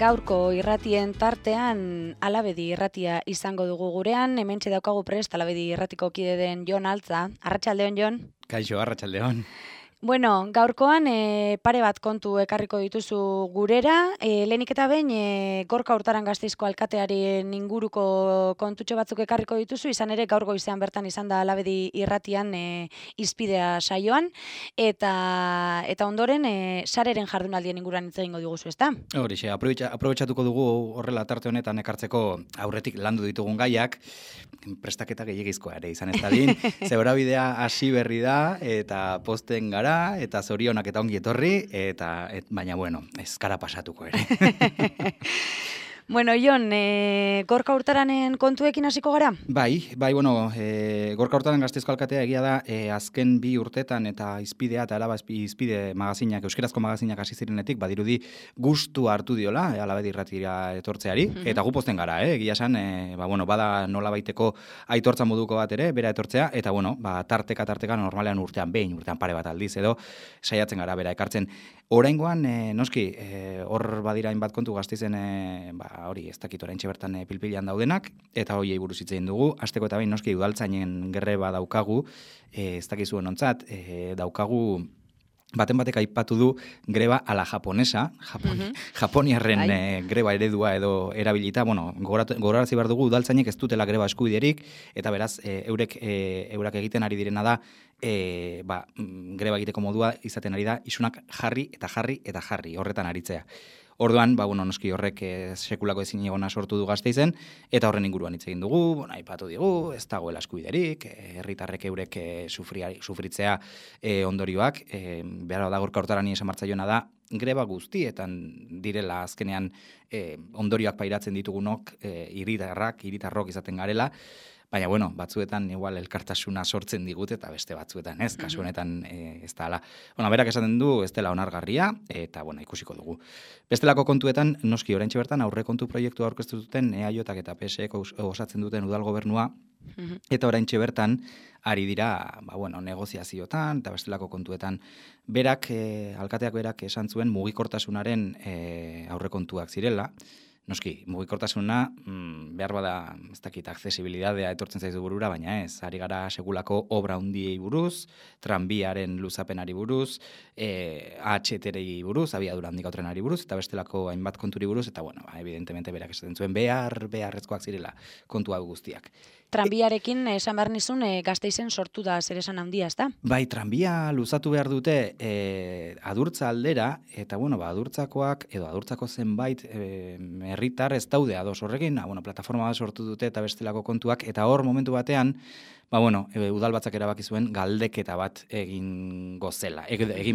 Gaurko irratien tartean Alabedi irratia izango dugu gurean, hementxe daukagu prest Alabedi irratiko kide den Jon Altza. Arratsaldeon, Jon. Kaixo, arratsaldeon. Bueno, gaurkoan pare bat kontu ekarriko dituzu gurera. Lehenik eta behin Gorka Hurtaran Gasteizko alkatearen inguruko kontutxo batzuk ekarriko dituzu, izan ere gaur goizean bertan izan da Alabedi irratian hizpidea saioan, eta ondoren sareren jardunaldien inguruan hitz egingo diguzu, ezta? Horixe, aprobetxatuko dugu horrela tarte honetan ekartzeko aurretik landu ditugun gaiak, prestaketa gehiagizkoa ere izan ez dadin, zebrabidea hasi berri da, eta posten gara, eta zorionak eta ongi etorri, baina bueno, ez gara pasatuko ere. Bueno, Jon, Gorka Hurtaranen kontuekin hasiko gara? Bai, bueno, Gorka Hurtaran Gasteizko alkatea egia da, azken 2 urtetan eta hizpidea eta Alaba hizpide magazinak, euskerazko magazinak hasi zirenetik, badirudi gustu hartu diola, Alabedi irratira etortzeari, eta gu posten gara, egia esan, bada nolabaiteko aitortza moduko bat ere, bera etortzea, eta tarteka normalean urtean pare bat aldiz edo, saiatzen gara bera ekartzen. Oraingoan, noski, hor badira hainbat kontu Gasteizen, hori ez dakit oraintxe bertan pilpilan daudenak, eta horiei buruz hitz egin dugu. Hasteko eta behin noski udaltzainen greba daukagu, ez dakizuen ontzat, daukagu baten batek aipatu du greba ala japonesa, japoniarren greba eredua edo erabilita, gogorarazi behar dugu udaltzainek ez dutela greba eskubiderik, eta beraz, eurak egiten ari direna da, greba egiteko modua izaten ari da, isunak jarri, horretan aritzea. Orduan, noski horrek sekulako ezin egona sortu du Gasteizen, eta horren inguruan hitz egin dugu, aipatu digu, ez dagoela eskubiderik, herritarrek eurek sufritzea ondorioak, behar da Gorka Hurtarani esan martzaiona da, greba guztietan direla azkenean ondorioak pairatzen ditugunok, hiritarrok izaten garela, baina, batzuetan igual elkartasuna sortzen digut eta beste batzuetan ez, kasu honetan ez da ala. Berak esaten du, ez dela onargarria, eta, ikusiko dugu. Bestelako kontuetan, noski oraintxe bertan, aurrekontu proiektua aurkeztu duten EAJak eta PSek osatzen duten udal gobernua, eta oraintxe bertan, ari dira, negoziaziotan, eta bestelako kontuetan, alkateak berak esan zuen mugikortasunaren aurrekontuak zirela. Noski, mugikortasuna, behar bada, ez dakit, aksesibilidadea etortzen zaizu burura, baina ez, ari gara segulako obra hundiei buruz, tranbiaren luzapenari buruz, AHT-rei buruz, abiadura handiko trenari buruz, eta bestelako hainbat konturi buruz, eta, evidentemente berak esaten zuen beharrezkoak zirela kontu hau guztiak. Tranbiarekin esan behar nizun Gasteizen sortu da zer esan handia, ez da? Bai, tranbia luzatu behar dute Adurtza aldera, eta adurtzakoak, edo adurtzako zenbait herritar ez daude ados horrekin, plataforma bat sortu dute eta bestelako kontuak, eta hor momentu batean, udalbatzak erabaki zuen galdeketa bat egin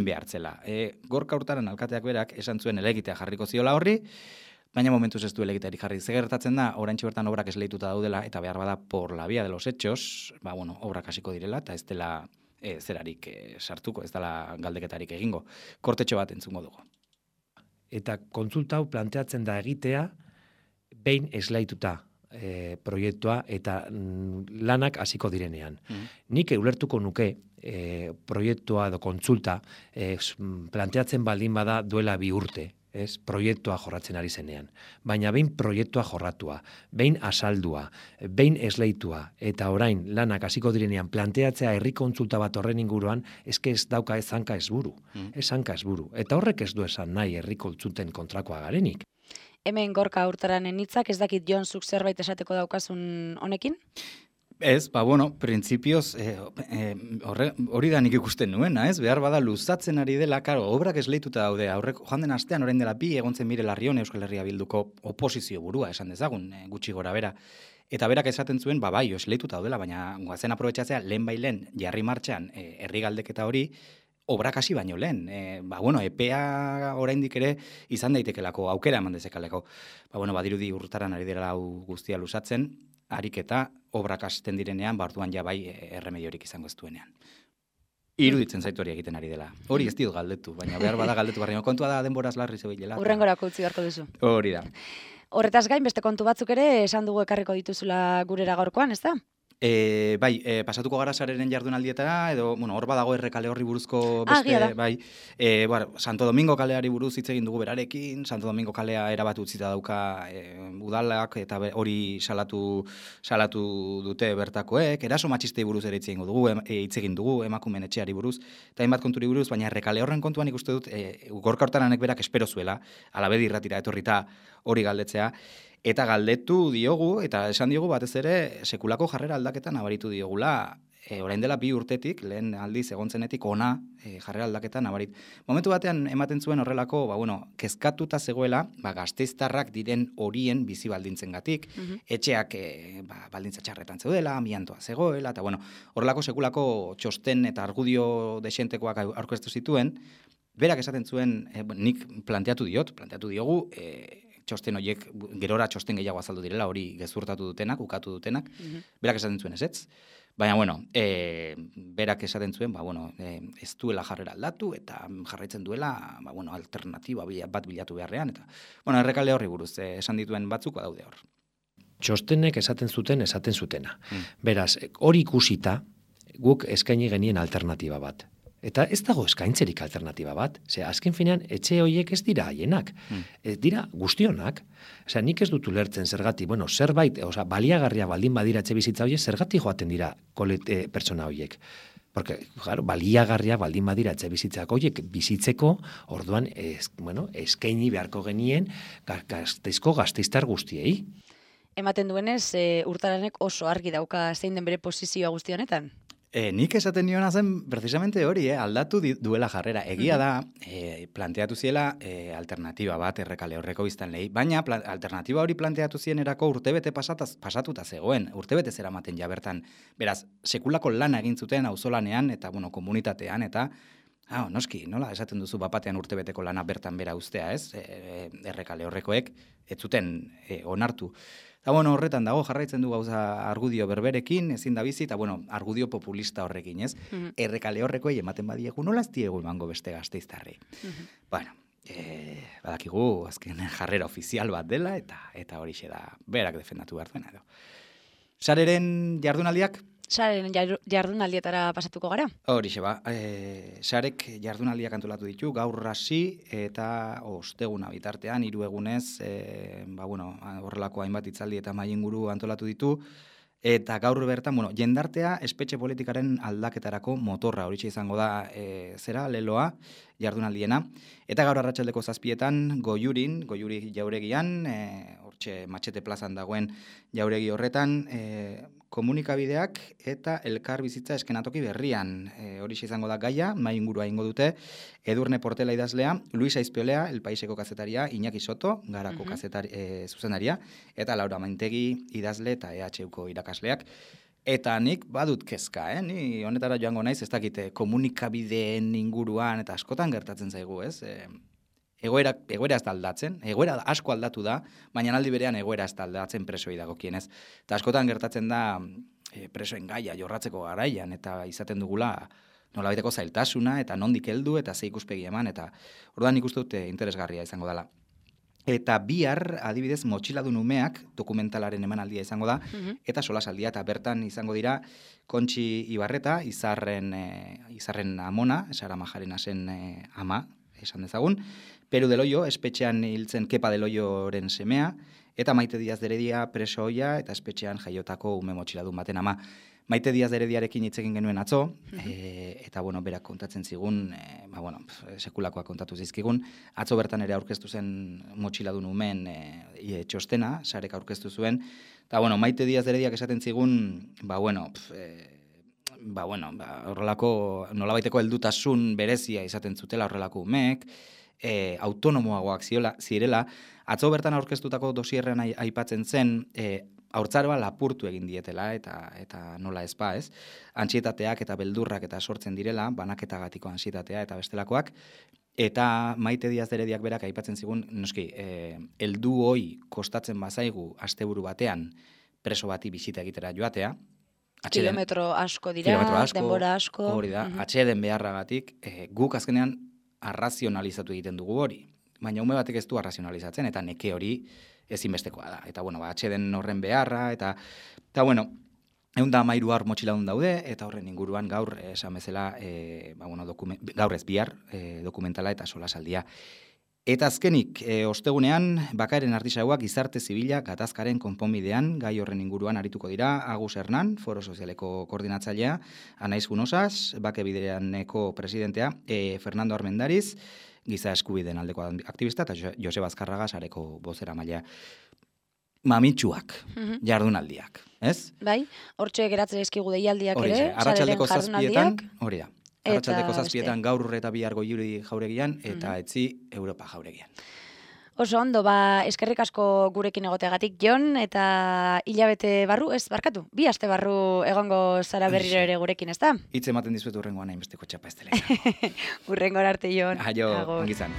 behar zela. Gorka Hurtaran alkateak berak esan zuen helegitea jarriko ziola horri, baina momentuz ez du helegiteari jarri. Gertatzen da, oraintxe bertan obrak esleituta daudela, eta behar bada por la vía de los hechos, obrak hasiko direla, eta ez dela zerarik sartuko, ez dela galdeketarik egingo. Kortetxo bat entzungo dugu. Eta kontsulta hau planteatzen da egitea, behin eslaituta proiektua eta lanak hasiko direnean. Nik ulertuko nuke proiektua edo kontsulta planteatzen baldin bada duela 2 urte, proiektua jorratzen ari zenean. Baina behin proiektua jorratua, behin asaldua, behin esleitua, eta orain lanak hasiko direnean planteatzea herri kontsulta bat horren inguruan, eske ez dauka ez hanka ez buru. Ez hanka ez buru. Eta horrek ez du esan nahi herri kontsulten kontrakoa garenik. Hemen Gorka Hurtaranen hitzak, ez dakit Jon zuk zerbait esateko daukazun honekin? Ez, printzipioz, hori da nik ikusten nuena, ez? Behar bada luzatzen ari dela, obrak esleituta daude, joan den astean orain dela 2 egon zen Mire Larrion Euskal Herria Bilduko oposizio burua, esan dezagun, gutxi gora bera. Eta berak esaten zuen, esleituta daudela, baina guazen aprobetxatzea, lehen jarri martxan herri galdeketa hori, obrak hasi baino lehen. EPEA oraindik ere izan daitekelako, aukera eman dezekaleko. Badirudi Hurtaran ari dela hau guztia luzatzen, ariketa obrak hasten direnean, orduan ja bai erremediorik izango ez duenean. Iruditzen zaitu hori egiten ari dela. Hori ez diot galdetu, baina behar bada galdetu barri. Kontua da denboraz larri zebilela. Urrengorako utzi beharko duzu. Hori da. Horretaz gain, beste kontu batzuk ere esan dugu ekarriko dituzula gurera gaurkoan, ez da? Pasatuko gara sareren jardunaldietara, edo, bueno, hor badago errekale horri buruzko Egia da. bai, Santo Domingo kaleari buruz hitz egin dugu berarekin, Santo Domingo kalea erabat utzita dauka udalak, eta hori salatu dute bertakoek, eraso matxistei buruz ere hitz egin dugu, emakumeen etxeari buruz, eta hainbat konturi buruz, baina errekale horren kontuan ikuste dut, Gorka Hortaranek berak espero zuela, Alabedi irratira etorrita hori galdetzea, eta galdetu diogu, eta esan diogu batez ere, sekulako jarrera aldaketa nabaritu diogula, orain dela 2 urtetik, lehen aldiz egontzenetik ona jarrera aldaketa nabarit. Momentu batean ematen zuen horrelako, kezkatuta zegoela, gasteiztarrak diren horien bizi baldintzengatik, etxeak baldintza txarretan zeudela, amiantoa zegoela, eta horrelako sekulako txosten eta argudio desentekoak aurkeztu zituen, berak esaten zuen, nik planteatu diogu, txosten horiek, gerora txosten gehiago azaldu direla, hori gezurtatu dutenak, ukatu dutenak, berak esaten zuen ezetz. Baina, berak esaten zuen, ez duela jarrera aldatu, eta jarraitzen duela, alternatiba bat bilatu beharrean, eta, errekale horri buruz, esan dituen batzuk daude hor. Txostenek esaten zutena. Beraz, hori ikusita, guk eskaini genien alternatiba bat. Eta ez dago eskaintzerik alternatiba bat. Azken finean, etxe horiek ez dira haienak. Ez dira guztionak. Nik ez dut ulertzen zergatik, zerbait, baliagarria baldin badira etxe bizitza horiek, zergatik joaten dira pertsona horiek. Porque, baliagarria baldin badira etxe bizitzak horiek bizitzeko, orduan, eskaini beharko genien gasteiztar guztiei. Ematen duenez, Hurtaranek oso argi dauka zein den bere posizioa guzti honetan. Nik esaten niona zen, precisamente hori, aldatu duela jarrera. Egia da, planteatu ziela alternatiba bat errekale horreko biztanleei, baina alternatiba hori planteatu zienerako urtebete pasatuta zegoen, urtebete zeramaten ja bertan. Beraz, sekulako lana egin zuten auzolanean eta komunitatean, eta noski, nola esaten duzu bapatean urtebeteko lana bertan bera ustea, ez? Errekale horrekoek ez zuten onartu. Eta horretan dago, jarraitzen du gauza argudio berberekin, ezin da bizi, eta argudio populista horrekin, ez? Errekale horrekoei ematen badiegu, nola ez diegu emango beste gasteiztarrei. Badakigu, azken jarrera ofizial bat dela, eta horixe da, berak defendatu behar duena edo. Sareren jardunaldiak? Sareren jardunaldietara pasatuko gara? Horixe sarek jardunaldiak antolatu ditu, gaur hasi eta osteguna bitartean, 3 egunez, horrelako hainbat hitzaldi eta mahai inguru antolatu ditu, eta gaur bertan, jendartea espetxe politikaren aldaketarako motorra, horixe izango da leloa, jardunaldiena, eta gaur arratsaldeko 7etan Goiuri jauregian, hortxe Matxete plazan dagoen jauregi horretan, komunikabideak eta elkar bizitza eskenatoki berrian. Horixe izango da gaia, mahai ingurua ingo dute, Edurne Portela idazlea, Luis Aizpeolea, El Paiseko kazetaria, Iñaki Soto, Garako zuzendaria, eta Laura Maintegi idazle eta EHUko irakasleak. Eta nik badut kezka, ni honetara joango naiz, ez dakite komunikabideen inguruan, eta askotan gertatzen zaigu, ez? Egoera ez da aldatzen, egoera asko aldatu da, baina aldi berean egoera ez da aldatzen presoei dagokienez. Eta askotan gertatzen da presoen gaia jorratzeko garaian, eta izaten dugula nolabaiteko zailtasuna, eta nondik heldu, eta ze ikuspegi eman, eta orduan nik uste dut interesgarria izango dela. Eta bihar, adibidez, Motxiladun umeak dokumentalaren emanaldia izango da, eta solasaldia, eta bertan izango dira Kontxi Ibarreta, izarren amona, Sara Majarenasen ama, esan dezagun, Peru del Hoyo, espetxean hiltzen Kepa del Hoyoren semea, eta Maite Diaz de Heredia preso ohia, eta espetxean jaiotako ume motxiladun baten ama. Maite Diaz de Herediarekin hitz egin genuen atzo, eta berak kontatzen zigun, sekulakoak kontatu zizkigun, atzo bertan ere aurkeztu zen motxiladun umeen txostena, sarek aurkeztu zuen, eta Maite Diaz de Herediak esaten zigun, horrelako nolabaiteko heldutasun berezia izaten zutela horrelako umeek, autonomoagoak zirela, atzo bertan aurkeztutako dosierrean aipatzen zen, haurtzaroa lapurtu egin dietela, eta nola ez? Antsietateak eta beldurrak eta sortzen direla, banaketagatiko antsietatea eta bestelakoak, eta Maite Diaz de Herediak berak aipatzen zigun, noski, heldu hoi kostatzen bazaigu asteburu batean preso bati bisita egitera joatea, kilometro asko dira, denbora asko. Hori da, atxeden beharragatik, guk azkenean arrazionalizatu egiten dugu hori. Baina ume batek ez du arrazionalizatzen, eta neke hori ezinbestekoa da. Eta, atxeden horren beharra, eta 113 motxiladun daude, eta horren inguruan gaur, esan bezala, gaur ez bihar, dokumentala eta solasaldia. Eta azkenik, ostegunean, Bakaeren Artisauak gizarte zibila gatazkaren konponbidean, gai horren inguruan arituko dira, Agus Hernan, Foro Sozialeko koordinatzailea, Anaiz Funosas, Bake Bideraneko presidentea, Fernando Armendariz, giza eskubideen aldeko aktivista, eta Joseba Azkarraga sareko bozeramailea. Mamitsuak, jardunaldiak, ez? Bai, hortxe geratzen eskigu deialdiak ere, arratsaldeko jardunaldiak. Hori da. Arratsaldeko 7etan gaur eta bihar Goiuri jauregian eta etzi Europa jauregian. Oso ondo, eskerrik asko gurekin egoteagatik, Jon, eta hilabete barru, ez barkatu, 2 aste barru egongo zara berriro ere gurekin, ez da? Hitz ematen dizuet urrengoan hainbesteko txapa ez dela. Urrengora arte, Jon. Aio, ongizan.